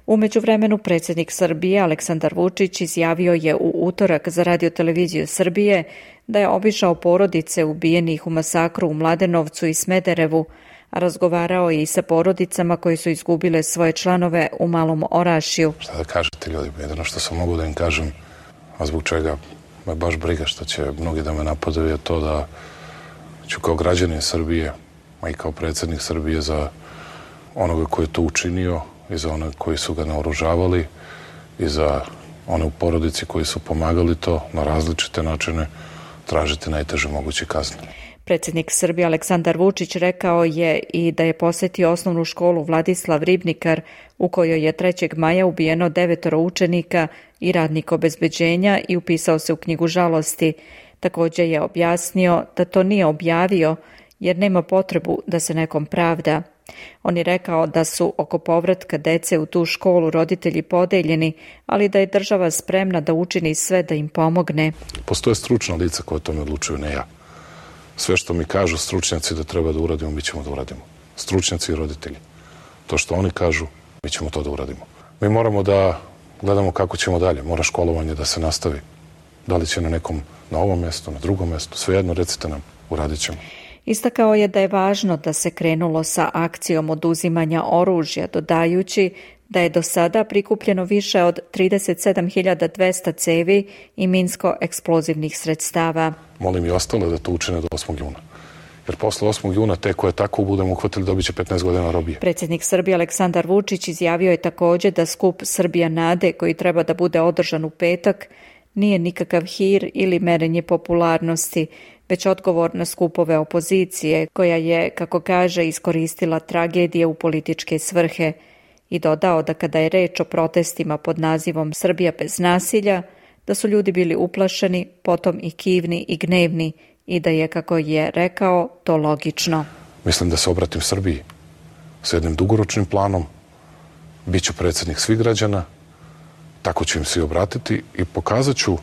U međuvremenu predsjednik Srbije Aleksandar Vučić izjavio je u utorak za Radio-televiziju Srbije da je obišao porodice ubijenih u masakru u Mladenovcu i Smederevu, a razgovarao je i sa porodicama koje su izgubile svoje članove u Malom Orašju. Šta da kažete ljudi, jedino što sam mogu da im kažem, a zbog čega me baš briga što će mnogi da me napadaju, je to da ću kao građanin Srbije, a i kao predsjednik Srbije za onoga koji je to učinio i za one koji su ga naoružavali i za one u porodici koji su pomagali to na različite načine tražiti najteže moguće kazne. Predsjednik Srbije Aleksandar Vučić rekao je i da je posjetio osnovnu školu Vladislav Ribnikar u kojoj je 3. maja ubijeno 9 učenika i radnik obezbeđenja i upisao se u knjigu žalosti. Također je objasnio da to nije objavio jer nema potrebu da se nekom pravda. On je rekao da su oko povratka dece u tu školu roditelji podeljeni, ali da je država spremna da učini sve da im pomogne. Postoje stručna lica koja o tome odlučuju, ne ja. Sve što mi kažu stručnjaci da treba da uradimo, mi ćemo da uradimo. Stručnjaci i roditelji. To što oni kažu, mi ćemo to da uradimo. Mi moramo da gledamo kako ćemo dalje. Mora školovanje da se nastavi. Da li će na ovom mjestu, na drugom mjestu, svejedno recite nam, uradit ćemo. Istakao je da je važno da se krenulo sa akcijom oduzimanja oružja, dodajući da je do sada prikupljeno više od 37.200 cevi i minsko-eksplozivnih sredstava. Molim i ostale da to učine do 8. juna. Jer posle 8. juna te koje tako budemo uhvatili dobit će 15 godina robije. Predsjednik Srbije Aleksandar Vučić izjavio je također da skup Srbija Nade, koji treba da bude održan u petak, nije nikakav hir ili merenje popularnosti, već odgovor na skupove opozicije, koja je, kako kaže, iskoristila tragedije u političke svrhe, i dodao da kada je reč o protestima pod nazivom Srbija bez nasilja, da su ljudi bili uplašeni, potom i kivni i gnevni i da je, kako je rekao, to logično. Mislim da se obratim Srbiji s jednim dugoročnim planom, bit ću predsjednik svih građana, tako ću im svi obratiti i pokazat ću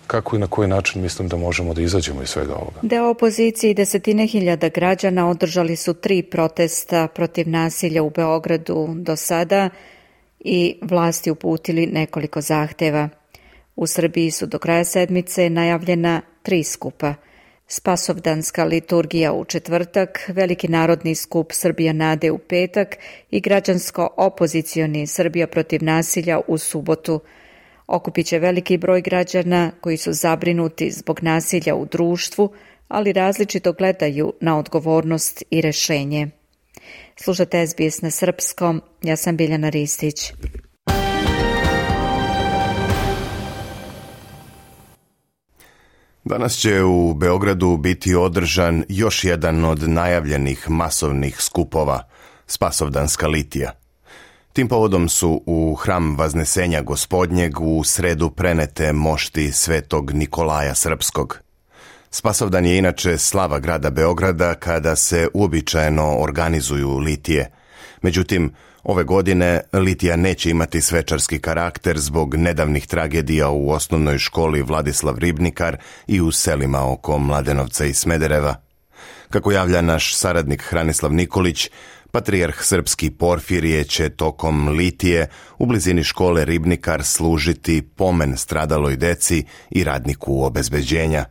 kako i na koji način mislim da možemo da izađemo iz svega ovoga. Deo opozicije i 10.000 građana održali su 3 protesta protiv nasilja u Beogradu do sada i vlasti uputili nekoliko zahteva. U Srbiji su do kraja sedmice najavljena 3 skupa. Spasovdanska liturgija u četvrtak, Veliki narodni skup Srbija Nade u petak i građansko-opozicioni Srbija protiv nasilja u subotu. Okupit će veliki broj građana koji su zabrinuti zbog nasilja u društvu, ali različito gledaju na odgovornost i rešenje. Slušate SBS na srpskom, ja sam Biljana Ristić. Danas će u Beogradu biti održan još jedan od najavljenih masovnih skupova, Spasovdanska litija. Tim povodom su u hram Vaznesenja Gospodnjeg u sredu prenete mošti Svetog Nikolaja Srpskog. Spasovdan je inače slava grada Beograda kada se uobičajeno organizuju litije. Međutim, ove godine litija neće imati svečarski karakter zbog nedavnih tragedija u osnovnoj školi Vladislav Ribnikar i u selima oko Mladenovca i Smedereva. Kako javlja naš saradnik Hranislav Nikolić, patrijarh srpski Porfirije će tokom litije u blizini škole Ribnikar služiti pomen stradaloj deci i radniku obezbeđenja.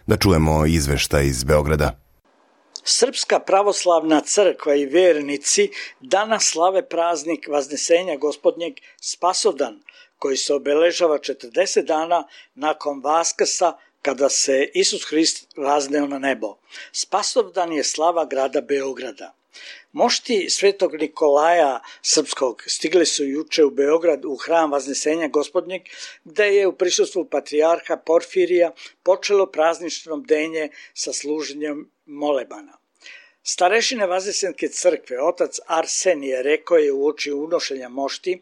Da čujemo izveštaj iz Beograda. Srpska pravoslavna crkva i vernici danas slave praznik Vaznesenja Gospodnjeg Spasovdan, koji se obeležava 40 dana nakon Vaskrsa kada se Isus Hrist vazneo na nebo. Spasovdan je slava grada Beograda. Mošti Svetog Nikolaja Srpskog stigli su juče u Beograd u hram Vaznesenja Gospodnjeg, gde je u prisustvu patrijarha Porfirija počelo praznično bdenje sa služenjem molebana. Starešine Vaznesenske crkve, otac Arsenije, rekao je uoči unošenja mošti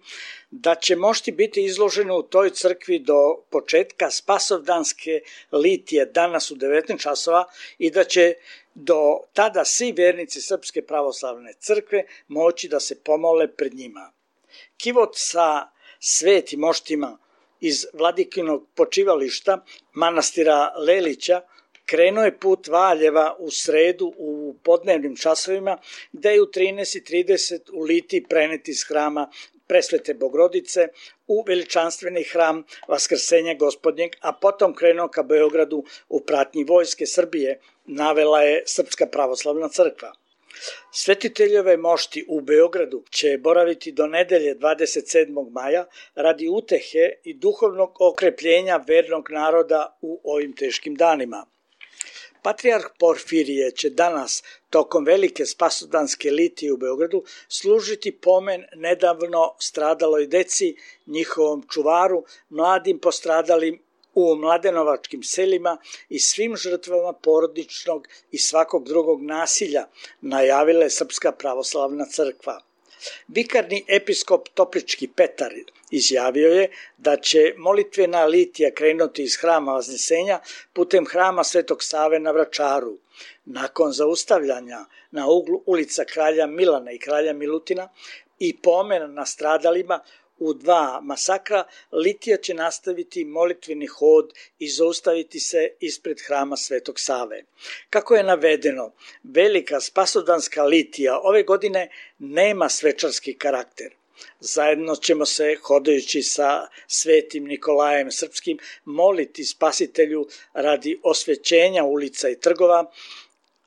da će mošti biti izložene u toj crkvi do početka Spasovdanske litije danas u 19 časova i da će do tada svi vernici Srpske pravoslavne crkve moći da se pomole pred njima. Kivot sa svetim moštima iz Vladikinog počivališta manastira Lelića krenuo je put Valjeva u sredu u podnevnim časovima, gde je u 13:30 u litiji prenet iz hrama Presvete Bogorodice u veličanstveni hram Vaskrsenja Gospodnjeg, a potom krenuo ka Beogradu u pratnji Vojske Srbije, navela je Srpska pravoslavna crkva. Svetiteljove mošti u Beogradu će boraviti do nedelje 27. maja radi utehe i duhovnog okrepljenja vernog naroda u ovim teškim danima. Patrijarh Porfirije će danas, tokom velike spasodanske litije u Beogradu, služiti pomen nedavno stradaloj deci, njihovom čuvaru, mladim postradalim u mladenovačkim selima i svim žrtvama porodičnog i svakog drugog nasilja, najavila je Srpska pravoslavna crkva. Vikarni episkop Toplički Petar izjavio je da će molitvena litija krenuti iz hrama Vaznesenja putem hrama Svetog Save na Vračaru. Nakon zaustavljanja na uglu ulica Kralja Milana i Kralja Milutina i pomena na stradalima u 2 masakra, litija će nastaviti molitveni hod i zaustaviti se ispred hrama Svetog Save. Kako je navedeno, velika spasodanska litija ove godine nema svečarski karakter. Zajedno ćemo se, hodajući sa Svetim Nikolajem Srpskim, moliti Spasitelju radi osvećenja ulica i trgova,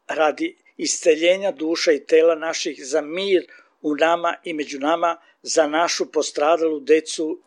radi isceljenja duša i tela naših, za mir u nama i među nama, za našu postradalu decu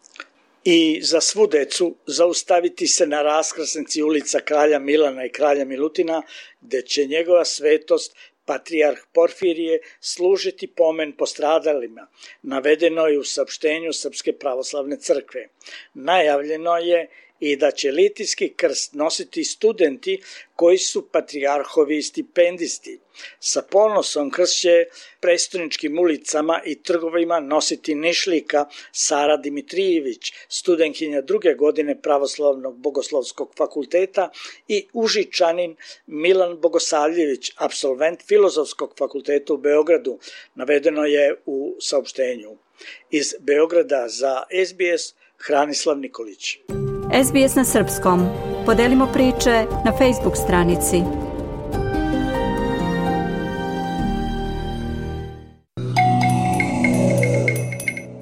i za svu decu, zaustaviti se na raskrsnici ulica Kralja Milana i Kralja Milutina, gde će njegova svetost Patrijarh Porfirije služiti pomen postradalima. Navedeno je u saopštenju Srpske pravoslavne crkve. Najavljeno je i da će litijski krst nositi studenti koji su patrijarhovi stipendisti. Sa ponosom krst će prestoničkim ulicama i trgovima nositi Nišlika Sara Dimitrijević, studentkinja 2. godine Pravoslavnog bogoslovskog fakulteta, i Užičanin Milan Bogosavljević, apsolvent Filozofskog fakulteta u Beogradu, navedeno je u saopštenju. Iz Beograda za SBS, Hranislav Nikolić. SBS na srpskom. Podelimo priče na Facebook stranici.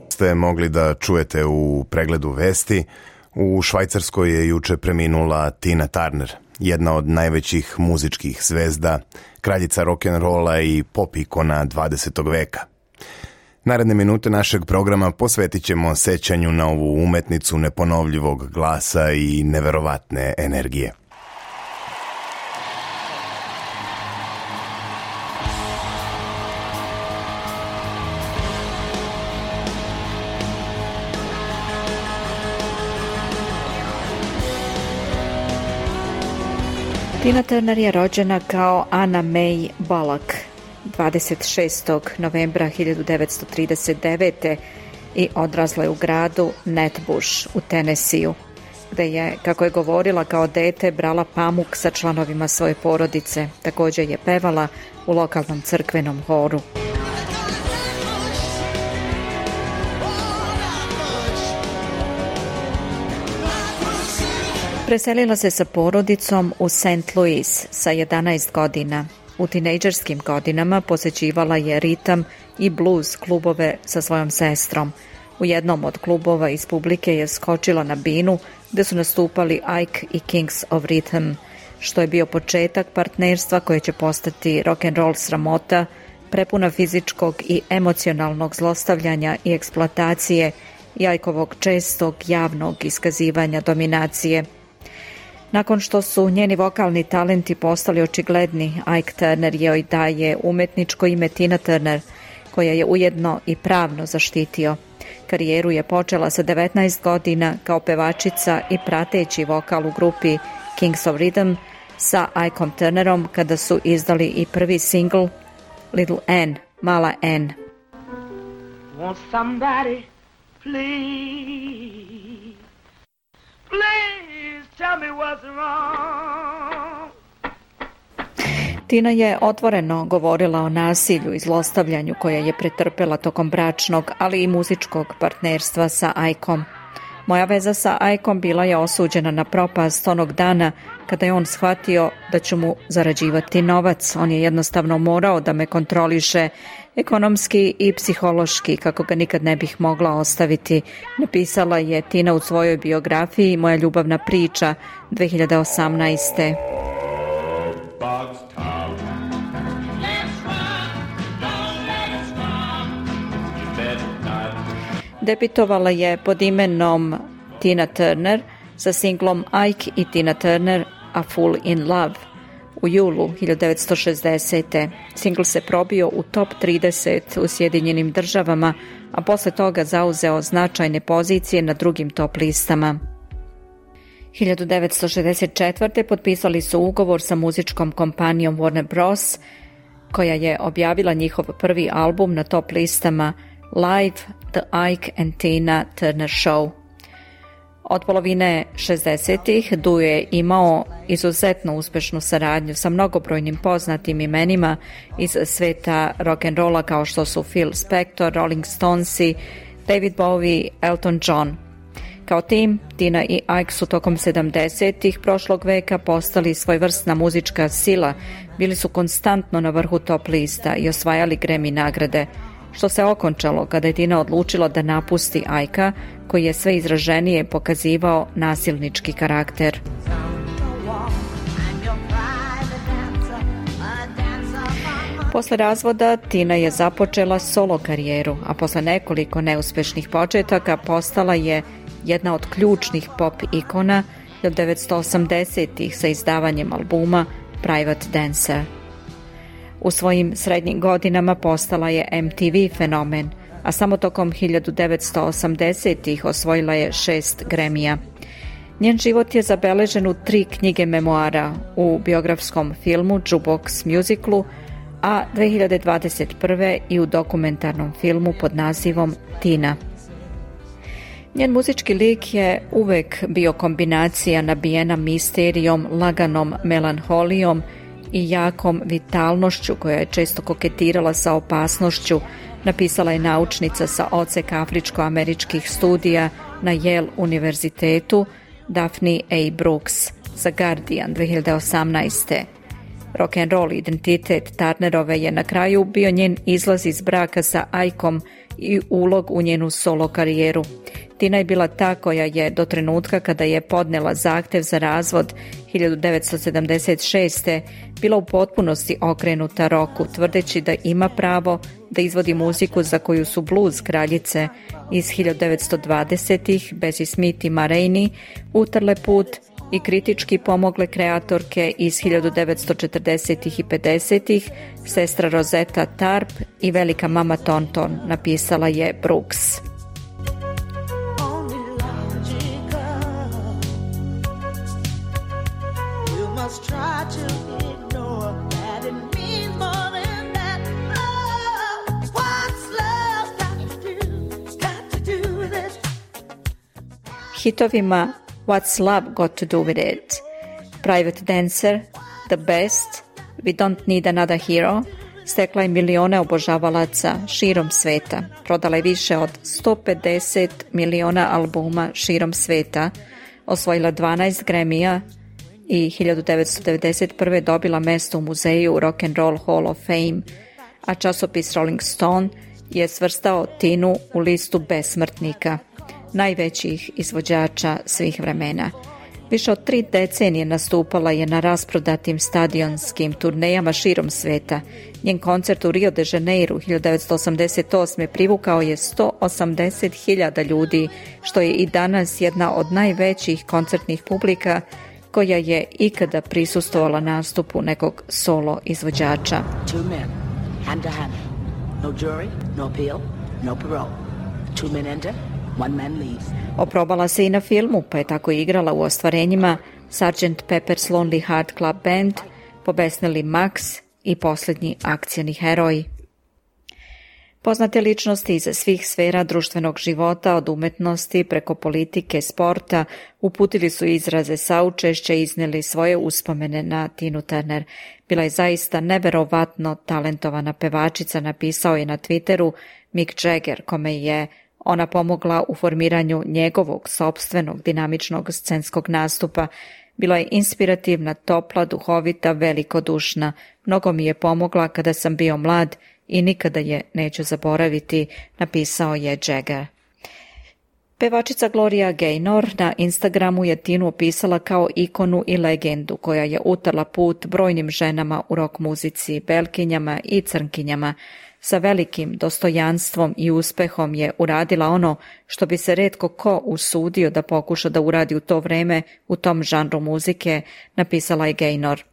Ste mogli da čujete u pregledu vesti. U Švajcarskoj je juče preminula Tina Turner, jedna od najvećih muzičkih zvezda, kraljica rock'n'rolla i pop ikona 20. veka. Naredne minute našeg programa posvetit ćemo sećanju na ovu umetnicu neponovljivog glasa i neverovatne energije. Tina Turner je rođena kao Anna May Bullock 26. novembra 1939. i odrasla je u gradu Nutbush u Tennesseeu, gde je, kako je govorila, kao dete brala pamuk sa članovima svoje porodice. Također je pevala u lokalnom crkvenom horu. Preselila se sa porodicom u St. Louis sa 11 godina. U tinejdžerskim godinama posećivala je ritam i blues klubove sa svojom sestrom. U jednom od klubova iz publike je skočila na binu gde su nastupali Ike i Kings of Rhythm, što je bio početak partnerstva koje će postati rock'n'roll sramota, prepuna fizičkog i emocionalnog zlostavljanja i eksploatacije i Ikeovog čestog javnog iskazivanja dominacije. Nakon što su njeni vokalni talenti postali očigledni, Ike Turner joj daje umetničko ime Tina Turner, koja je ujedno i pravno zaštitio. Karijeru je počela sa 19 godina kao pevačica i prateći vokal u grupi Kings of Rhythm sa Ikeom Turnerom, kada su izdali i prvi singl Little Ann, Mala Ann. Want somebody, please, please tell me what's wrong. Tina je otvoreno govorila o nasilju i zlostavljanju koje je pretrpela tokom bračnog, ali i muzičkog partnerstva sa Ikeom. Moja veza sa Ikeom bila je osuđena na propast onog dana kada je on shvatio da ću mu zarađivati novac. On je jednostavno morao da me kontroliše ekonomski i psihološki, kako ga nikad ne bih mogla ostaviti, napisala je Tina u svojoj biografiji Moja ljubavna priča 2018. Debitovala je pod imenom Tina Turner sa singlom Ike i Tina Turner A Fool in Love u julu 1960. Singl se probio u top 30 u Sjedinjenim Državama, a posle toga zauzeo značajne pozicije na drugim top listama. 1964. potpisali su ugovor sa muzičkom kompanijom Warner Bros., koja je objavila njihov prvi album na top listama Live, The Ike and Tina Turner Show. Od polovine 60-ih duo je imao izuzetno uspešnu saradnju sa mnogobrojnim poznatim imenima iz sveta rock'n'rolla kao što su Phil Spector, Rolling Stonesi, David Bowie, Elton John. Kao tim, Tina i Ike su tokom 70-ih prošlog veka postali svojevrsna muzička sila, bili su konstantno na vrhu top lista i osvajali Grammy nagrade, što se okončalo kada je Tina odlučila da napusti Ike-a, koji je sve izraženije pokazivao nasilnički karakter. Posle razvoda Tina je započela solo karijeru, a posle nekoliko neuspešnih početaka postala je jedna od ključnih pop ikona 1980-ih sa izdavanjem albuma Private Dancer. U svojim srednjim godinama postala je MTV fenomen, a samo tokom 1980-ih osvojila je 6 Grammyja. Njen život je zabeležen u 3 knjige memoara, u biografskom filmu Jukebox Musiclu, a 2021. i u dokumentarnom filmu pod nazivom Tina. Njen muzički lik je uvek bio kombinacija nabijena misterijom, laganom melanholijom i jakom vitalnošću koja je često koketirala sa opasnošću, napisala je naučnica sa odseka afričko-američkih studija na Yale univerzitetu Daphne A. Brooks za Guardian 2018. Rock'n'roll identitet Turnerove je na kraju bio njen izlaz iz braka sa Ikeom i ulog u njenu solo karijeru. Tina je bila ta koja je do trenutka kada je podnela zahtev za razvod 1976. bila u potpunosti okrenuta roku, tvrdeći da ima pravo da izvodi muziku za koju su blues kraljice iz 1920-ih, Bessie Smith i Ma Rainey, utrle put i kritički pomogle kreatorke iz 1940-ih i 50-ih, sestra Rosetta Tarp i velika mama Tonton, napisala je Brooks. Hitovima What's Love Got to Do With It, Private Dancer, The Best, We Don't Need Another Hero, stekla je milione obožavalaca širom sveta. Prodala je više od 150 miliona albuma širom sveta, osvojila 12 Grammyja i 1991. dobila mesto u muzeju Rock'n'Roll Hall of Fame, a časopis Rolling Stone je svrstao Tinu u listu besmrtnika, najvećih izvođača svih vremena. Više od 3 decenije nastupala je na rasprodatim stadionskim turnejama širom sveta. Njen koncert u Rio de Janeiro 1988. privukao je 180.000 ljudi, što je i danas jedna od najvećih koncertnih publika koja je ikada prisustvovala nastupu nekog solo izvođača. 2 men, hand to hand. No jury, no appeal, no parole. 2 men enter, 1 man leaves. Oprobala se i na filmu, pa je tako igrala u ostvarenjima Sgt. Pepper's Lonely Heart Club Band, Pobesneli Max i Poslednji akcioni heroji. Poznate ličnosti iz svih sfera društvenog života, od umetnosti preko politike, sporta, uputili su izraze saučešća i iznijeli svoje uspomene na Tinu Turner. Bila je zaista neverovatno talentovana pevačica, napisao je na Twitteru Mick Jagger, kome je ona pomogla u formiranju njegovog sopstvenog dinamičnog scenskog nastupa. Bila je inspirativna, topla, duhovita, velikodušna. Mnogo mi je pomogla kada sam bio mlad i nikada je neću zaboraviti, napisao je Jagger. Pevačica Gloria Gaynor na Instagramu je Tinu opisala kao ikonu i legendu koja je utrla put brojnim ženama u rock muzici, belkinjama i crnkinjama. Sa velikim dostojanstvom i uspehom je uradila ono što bi se retko ko usudio da pokuša da uradi u to vreme u tom žanru muzike, napisala je Gaynor.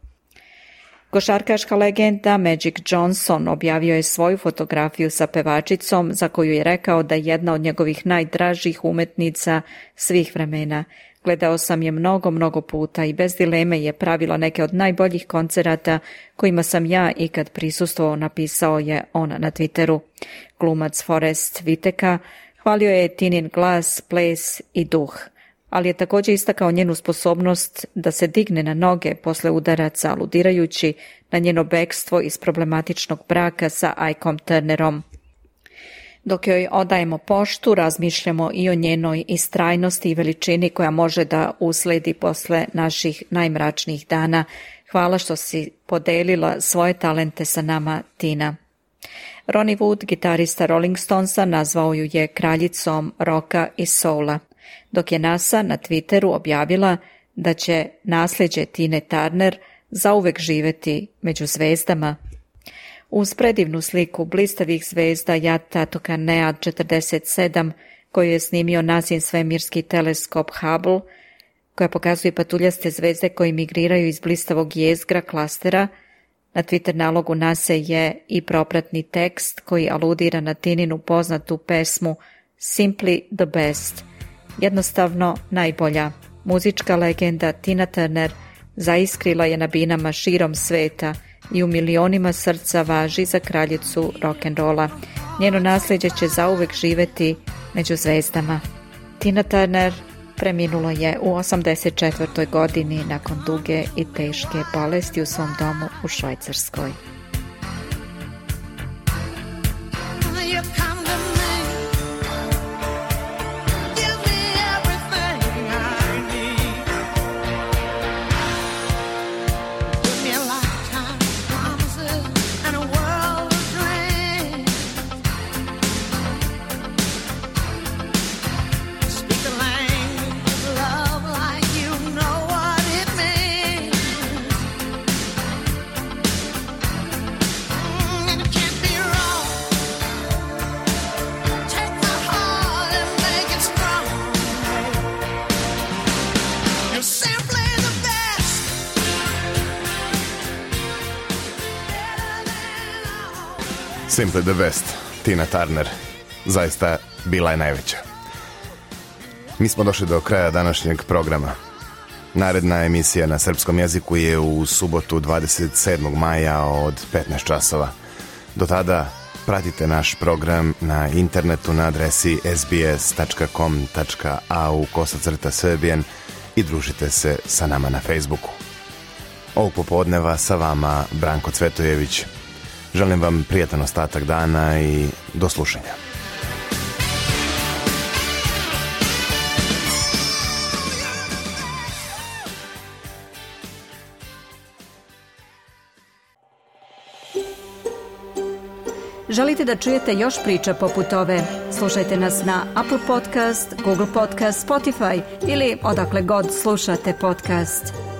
Košarkaška legenda Magic Johnson objavio je svoju fotografiju sa pevačicom za koju je rekao da je jedna od njegovih najdražih umetnica svih vremena. Gledao sam je mnogo puta i bez dileme je pravila neke od najboljih koncerata kojima sam ja ikad prisustvovao, napisao je on na Twitteru. Glumac Forest Whitaker hvalio je Tinin glas, ples i duh, ali je također istakao njenu sposobnost da se digne na noge posle udaraca, aludirajući na njeno bekstvo iz problematičnog braka sa Ikom Turnerom. Dok joj odajemo poštu, razmišljamo i o njenoj istrajnosti i veličini koja može da usledi posle naših najmračnijih dana. Hvala što si podelila svoje talente sa nama, Tina. Ronnie Wood, gitarista Rolling Stonesa, nazvao ju je kraljicom roka i soula, dok je NASA na Twitteru objavila da će nasljeđe Tine Turner zauvek živeti među zvezdama. Uz predivnu sliku blistavih zvezda Jatatoka Nead 47, koju je snimio NASIN svemirski teleskop Hubble, koja pokazuje patuljaste zvezde koje migriraju iz blistavog jezgra klastera, na Twitter nalogu NASA je i propratni tekst koji aludira na Tininu poznatu pesmu Simply the Best, jednostavno najbolja. Muzička legenda Tina Turner zaiskrila je na binama širom sveta i u milionima srca važi za kraljicu rock'n'rolla. Njeno nasljeđe će zauvek živeti među zvezdama. Tina Turner preminulo je u 84. godini nakon duge i teške bolesti u svom domu u Švajcarskoj. Simply the best, Tina Turner, zaista bila je najveća. Mi smo došli do kraja današnjeg programa. Naredna emisija na srpskom jeziku je u subotu 27. maja od 15 časova. Do tada pratite naš program na internetu na adresi sbs.com.au/Serbian i družite se sa nama na Facebooku. Ovog popodneva sa vama Branko Cvetojević. Želim vam prijatan ostatak dana i do slušanja. Želite da čujete još priča poput ove? Slušajte nas na Apple Podcast, Google Podcast, Spotify ili odakle god slušate podcast.